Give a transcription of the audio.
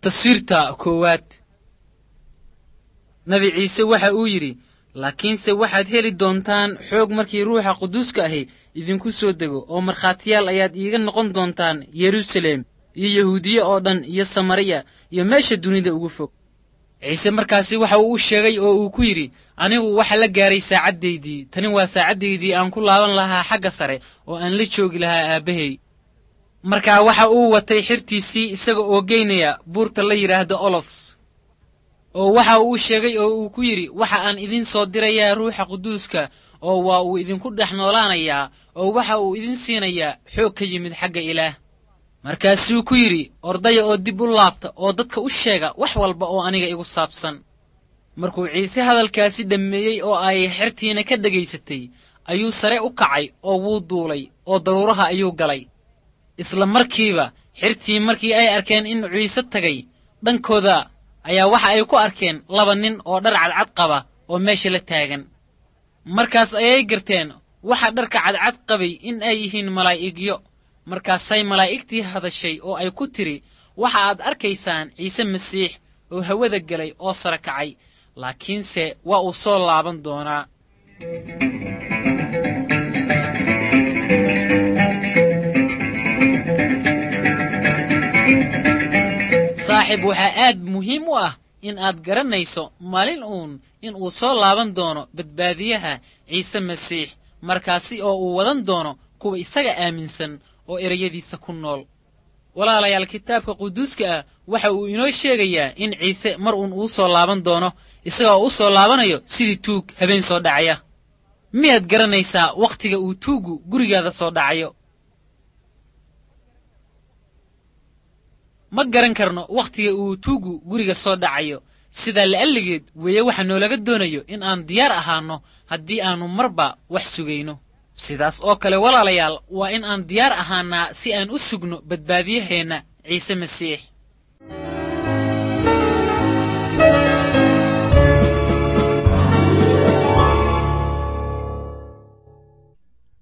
Taswiirta koowaad. Nabi Ciise waxa uu yidhi, laakiinse waxaad heli doontaan xoog markii Ruuxa Quduuska ahi idinku soo dego, oo markhaatiyaal ayaad iiga noqon doontaan Yeruusaleem iyo Yahuudiye oo dhan iyo Samariya iyo meesha dunida ugu fog. Ciise markaasi waxa uu u sheegay oo uu ku yidhi, anigu waxa la gaaray saacaddaydii, tani waa saacaddaydii aan ku laaban lahaa xagga sare oo aan la joogi lahaa aabbahay. Markaa waxa uu watay xirtiisii isaga oo geynaya buurta la yidhaahdo Olofs. Oo waxa uu sheegay oo uu ku yidhi, waxa aan idin soo dirayaa Ruuxa Quduuska, oo waa uu idinku dhex noolaanayaa, oo waxa uu idin siinayaa xoog ka yimid xagga Ilaah. Markaasuu ku yidhi, ordaya oo dib u laabta oo dadka u sheega wax walba oo aniga igu saabsan. Markuu Ciise hadalkaasi dhammeeyey oo ay xertiina ka dhegaysatay, ayuu sare u kacay oo wuu duulay oo daruuraha ayuu galay. Isla markiiba xertii markii ay arkeen in Ciise tagay, dhankooda ayaa waxa ay ku arkeen laba nin oo dhar cadcad qaba oo meesha la taagan. Markaas ayay garteen waxa dharka cadcad qabay in ay yihiin malaa'igyo. Markaasay malaa'igtii hadashay oo ay ku tidhi, waxa aad arkaysaan Ciise Masiix oo hawada galay oo sare kacay, laakiinse waa uu soo laaban doonaa. Saaxiib, waxaa aad muhiim u ah in aad garanayso maalin uun in uu soo laaban doono badbaadiyaha Ciise Masiix, markaasi oo uu wadan doono kuwa isaga aaminsan oo ereyadiisa ku nool. Walaalayaal, kitaabka quduuska ah waxa uu inoo sheegayaa in Ciise mar uun uu soo laaban doono, isaga oo u soo laabanayo sidii tuug habeen soo dhacaya. Miyaad garanaysaa wakhtiga uu tuuggu gurigaada soo dhacayo? Ma garan karno wakhtiga uu tuuggu guriga soo dhacayo. Sidaa la'alligeed weeye waxa noolaga doonayo in aan diyaar ahaanno haddii aannu marba wax sugayno. Sidaas oo kale walaalayaal, waa in aan diyaar ahaannaa si aan u sugno badbaadiyaheenna Ciise Masiix.